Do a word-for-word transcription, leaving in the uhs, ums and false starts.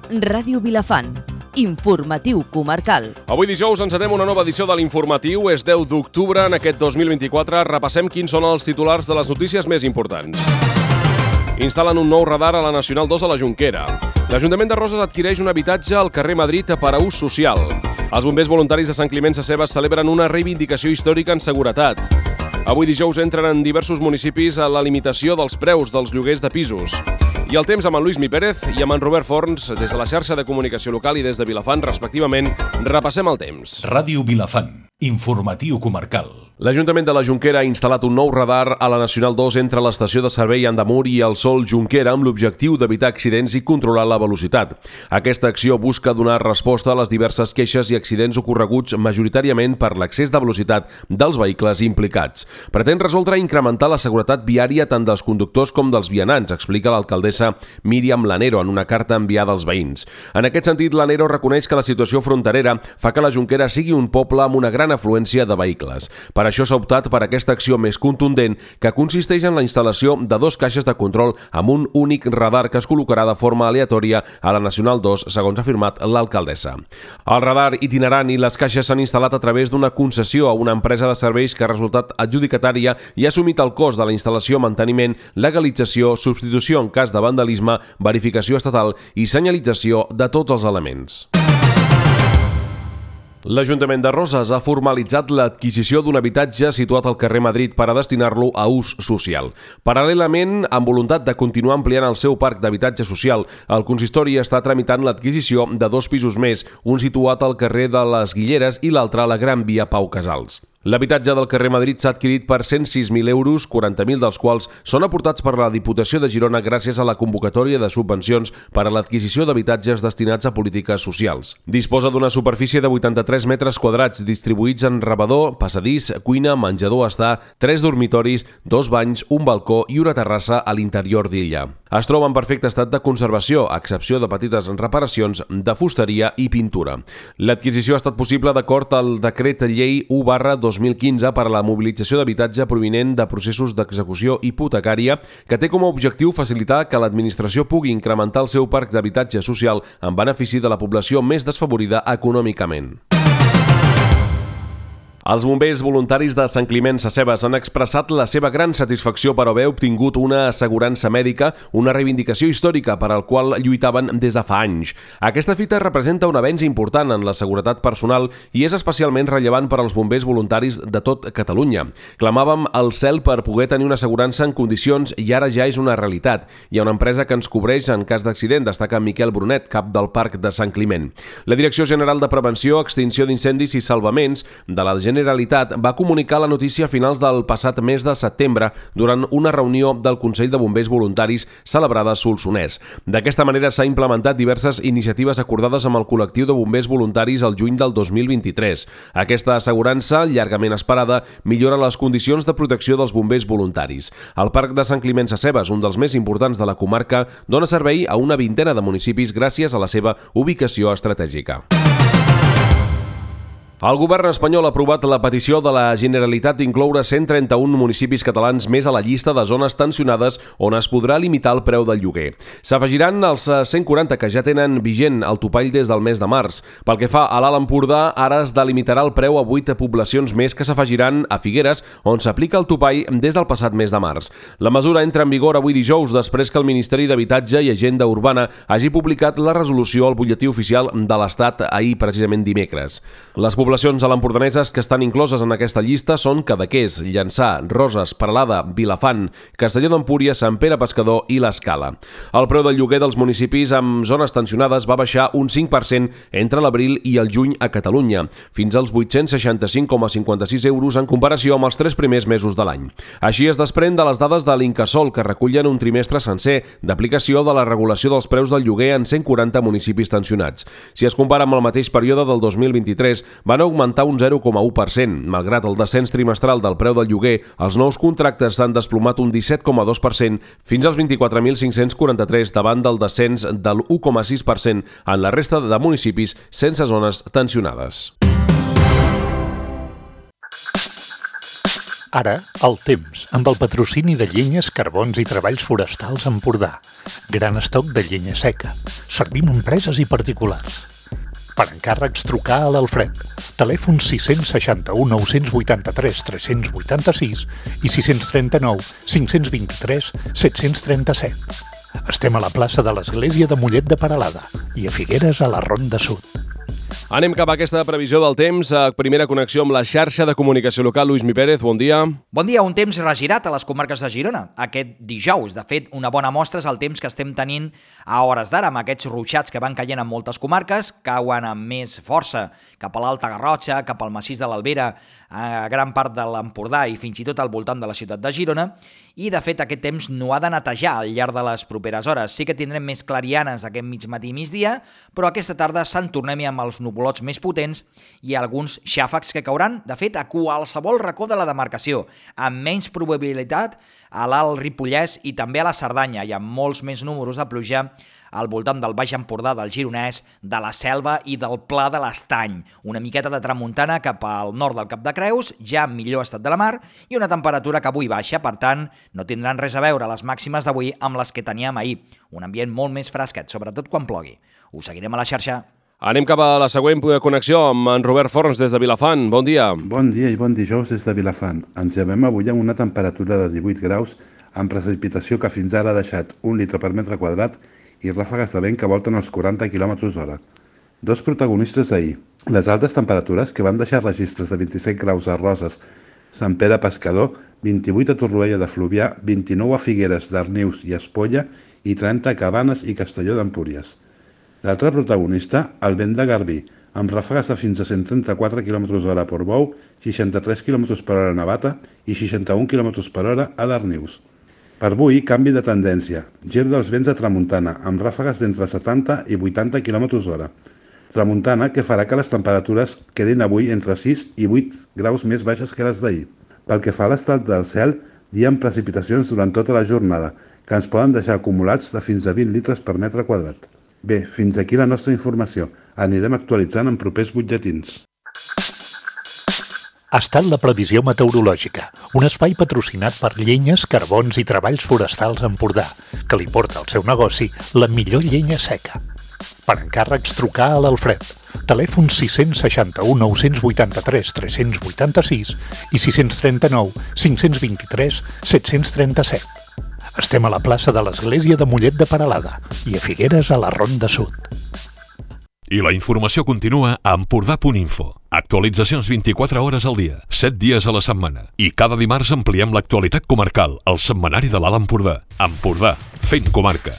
Ràdio Vilafant, informatiu comarcal. Avui dijous encetem una nova edició de l'informatiu. És deu d'octubre. En aquest dos mil vint-i-quatre repassem quins són els titulars de les notícies més importants. Instal·len un nou radar a la Nacional dos a la Jonquera. L'Ajuntament de Roses adquireix un habitatge al carrer Madrid per a ús social. Els bombers voluntaris de Sant Climent Sescebes celebren una reivindicació històrica en seguretat. Avui dijous entren en diversos municipis a la limitació dels preus dels lloguers de pisos. I el temps amb en Lluís Mi Pérez i amb en Robert Forns, des de la xarxa de comunicació local i des de Vilafant, respectivament, repassem el temps. Ràdio Vilafant, informatiu comarcal. L'Ajuntament de la Jonquera ha instal·lat un nou radar a la Nacional dos entre l'estació de servei Andamur i el Sol Jonquera amb l'objectiu d'evitar accidents i controlar la velocitat. Aquesta acció busca donar resposta a les diverses queixes i accidents ocorreguts majoritàriament per l'excés de velocitat dels vehicles implicats. Pretén resoldre i incrementar la seguretat viària tant dels conductors com dels vianants, explica l'alcaldessa Míriam Lanero en una carta enviada als veïns. En aquest sentit, Lanero reconeix que la situació fronterera fa que la Jonquera sigui un poble amb una gran afluència de vehicles. Per això s'ha optat per aquesta acció més contundent, que consisteix en la instal·lació de dos caixes de control amb un únic radar que es col·locarà de forma aleatòria a la Nacional dos, segons ha afirmat l'alcaldessa. El radar itinerant i les caixes s'han instal·lat a través d'una concessió a una empresa de serveis que ha resultat adjudicatària i ha assumit el cost de la instal·lació, manteniment, legalització, substitució en cas de vandalisme, verificació estatal i senyalització de tots els elements. L'Ajuntament de Roses ha formalitzat l'adquisició d'un habitatge situat al carrer Madrid per a destinar-lo a ús social. Paral·lelament, amb voluntat de continuar ampliant el seu parc d'habitatge social, el consistori està tramitant l'adquisició de dos pisos més, un situat al carrer de les Guilleres i l'altre a la Gran Via Pau Casals. L'habitatge del carrer Madrid s'ha adquirit per cent sis mil euros, quaranta mil dels quals són aportats per la Diputació de Girona gràcies a la convocatòria de subvencions per a l'adquisició d'habitatges destinats a polítiques socials. Disposa d'una superfície de vuitanta-tres metres quadrats distribuïts en rebedor, passadís, cuina, menjador estar, tres dormitoris, dos banys, un balcó i una terrassa a l'interior d'illa. Es troba en perfecte estat de conservació, a excepció de petites reparacions de fusteria i pintura. L'adquisició ha estat possible d'acord al decret llei u barra dos mil quinze per a la mobilització d'habitatge provinent de processos d'execució hipotecària, que té com a objectiu facilitar que l'administració pugui incrementar el seu parc d'habitatge social en benefici de la població més desfavorida econòmicament. Els bombers voluntaris de Sant Climent Sescebes han expressat la seva gran satisfacció per haver obtingut una assegurança mèdica, una reivindicació històrica per al qual lluitaven des de fa anys. Aquesta fita representa un avenç important en la seguretat personal i és especialment rellevant per als bombers voluntaris de tot Catalunya. Clamàvem al cel per poder tenir una assegurança en condicions i ara ja és una realitat. Hi ha una empresa que ens cobreix en cas d'accident, destaca Miquel Brunet, cap del Parc de Sant Climent. La Direcció General de Prevenció, Extinció d'Incendis i Salvaments de la Generalitat va comunicar la notícia a finals del passat mes de setembre durant una reunió del Consell de Bombers Voluntaris celebrada a Solsonès. D'aquesta manera s'ha implementat diverses iniciatives acordades amb el col·lectiu de bombers voluntaris al juny del dos mil vint-i-tres. Aquesta assegurança, llargament esperada, millora les condicions de protecció dels bombers voluntaris. El Parc de Sant Climent Sescebes, un dels més importants de la comarca, dona servei a una vintena de municipis gràcies a la seva ubicació estratègica. El govern espanyol ha aprovat la petició de la Generalitat d'incloure cent trenta-un municipis catalans més a la llista de zones tensionades on es podrà limitar el preu del lloguer. S'afegiran els cent quaranta que ja tenen vigent el topall des del mes de març. Pel que fa a l'Alt Empordà, ara es delimitarà el preu a vuit poblacions més que s'afegiran a Figueres, on s'aplica el topall des del passat mes de març. La mesura entra en vigor avui dijous, després que el Ministeri d'Habitatge i Agenda Urbana hagi publicat la resolució al butlletí oficial de l'Estat ahir, precisament dimecres. Les poblacions a l'empordaneses que estan incloses en aquesta llista són Cadaqués, Llançà, Roses, Peralada, Vilafant, Castelló d'Empúries, Sant Pere Pescador i l'Escala. El preu del lloguer dels municipis amb zones tensionades va baixar un cinc per cent entre l'abril i el juny a Catalunya, fins als vuit-cents seixanta-cinc coma cinquanta-sis euros en comparació amb els tres primers mesos de l'any. Així es desprèn de les dades de l'Incasòl, que recullen un trimestre sencer d'aplicació de la regulació dels preus del lloguer en cent quaranta municipis tensionats. Si es compara amb el mateix període del dos mil vint-i-tres, van augmentar un zero coma u per cent. Malgrat el descens trimestral del preu del lloguer, els nous contractes s'han desplomat un disset coma dos per cent fins als vint-i-quatre mil cinc-cents quaranta-tres davant del descens del u coma sis per cent en la resta de municipis sense zones tensionades. Ara, el temps, amb el patrocini de Llenyes, Carbons i Treballs Forestals Empordà. Gran estoc de llenya seca. Servim a empreses i particulars. Per encàrrecs, trucar a l'Alfred. Telèfon sis sis u, nou vuit tres, tres vuit sis i sis tres nou, cinc dos tres, set tres set. Estem a la plaça de l'Església de Mollet de Peralada i a Figueres a la Ronda Sud. Anem cap a aquesta previsió del temps. A primera connexió amb la xarxa de comunicació local. Lluís Mi Pérez, bon dia. Bon dia. Un temps regirat a les comarques de Girona aquest dijous. De fet, una bona mostra és el temps que estem tenint a hores d'ara, amb aquests ruixats que van caient en moltes comarques, cauen amb més força cap a l'Alta Garrotxa, cap al massís de l'Albera, a gran part de l'Empordà i fins i tot al voltant de la ciutat de Girona. I, de fet, aquest temps no ha de netejar al llarg de les properes hores. Sí que tindrem més clarianes aquest mig matí i migdia, però aquesta tarda se'n tornem amb els nuvolots més potents i alguns xàfecs que cauran, de fet, a qualsevol racó de la demarcació, amb menys probabilitat a l'Alt Ripollès i també a la Cerdanya, i amb molts més números de pluja al voltant del Baix Empordà, del Gironès, de la Selva i del Pla de l'Estany. Una miqueta de tramuntana cap al nord del Cap de Creus, ja en millor estat de la mar, i una temperatura que avui baixa, per tant, no tindran res a veure les màximes d'avui amb les que teníem ahir. Un ambient molt més fresquet, sobretot quan plogui. Us seguirem a la xarxa. Anem cap a la següent connexió amb en Robert Forns des de Vilafant. Bon dia. Bon dia i bon dijous des de Vilafant. Ens llevem avui amb una temperatura de divuit graus, amb precipitació que fins ara ha deixat un litre per metre quadrat i ràfegues de vent que volten els quaranta quilòmetres hora. Dos protagonistes d'ahir. Les altes temperatures, que van deixar registres de vint-i-set graus a Roses, Sant Pere Pescador, vint-i-vuit a Torroella de Fluvià, vint-i-nou a Figueres, Darnius i Espolla i trenta a Cabanes i Castelló d'Empúries. L'altre protagonista, el vent de Garbí, amb ràfegues de fins a cent trenta-quatre quilòmetres hora a Portbou, seixanta-tres quilòmetres per hora a Navata i seixanta-un quilòmetres per hora a Darnius. Per avui, canvi de tendència. Gir dels vents a tramuntana, amb ràfegues d'entre setanta i vuitanta quilòmetres hora. Tramuntana que farà que les temperatures quedin avui entre sis i vuit graus més baixes que les d'ahir. Pel que fa a l'estat del cel, hi ha precipitacions durant tota la jornada, que ens poden deixar acumulats de fins a vint litres per metre quadrat. Bé, fins aquí la nostra informació. Anirem actualitzant en propers butlletins. Ha estat la previsió meteorològica, un espai patrocinat per Llenyes, Carbons i Treballs Forestals Empordà, que li porta al seu negoci la millor llenya seca. Per encàrrecs, trucar a l'Alfred. Telèfon sis sis u, nou vuit tres, tres vuit sis i sis tres nou, cinc dos tres, set tres set. Estem a la plaça de l'Església de Mollet de Peralada i a Figueres a la Ronda Sud. I la informació continua a empordà punt info. Actualitzacions vint-i-quatre hores al dia, set dies a la setmana. I cada dimarts ampliem l'actualitat comarcal, al setmanari de l'Alt Empordà. Empordà, fent comarca.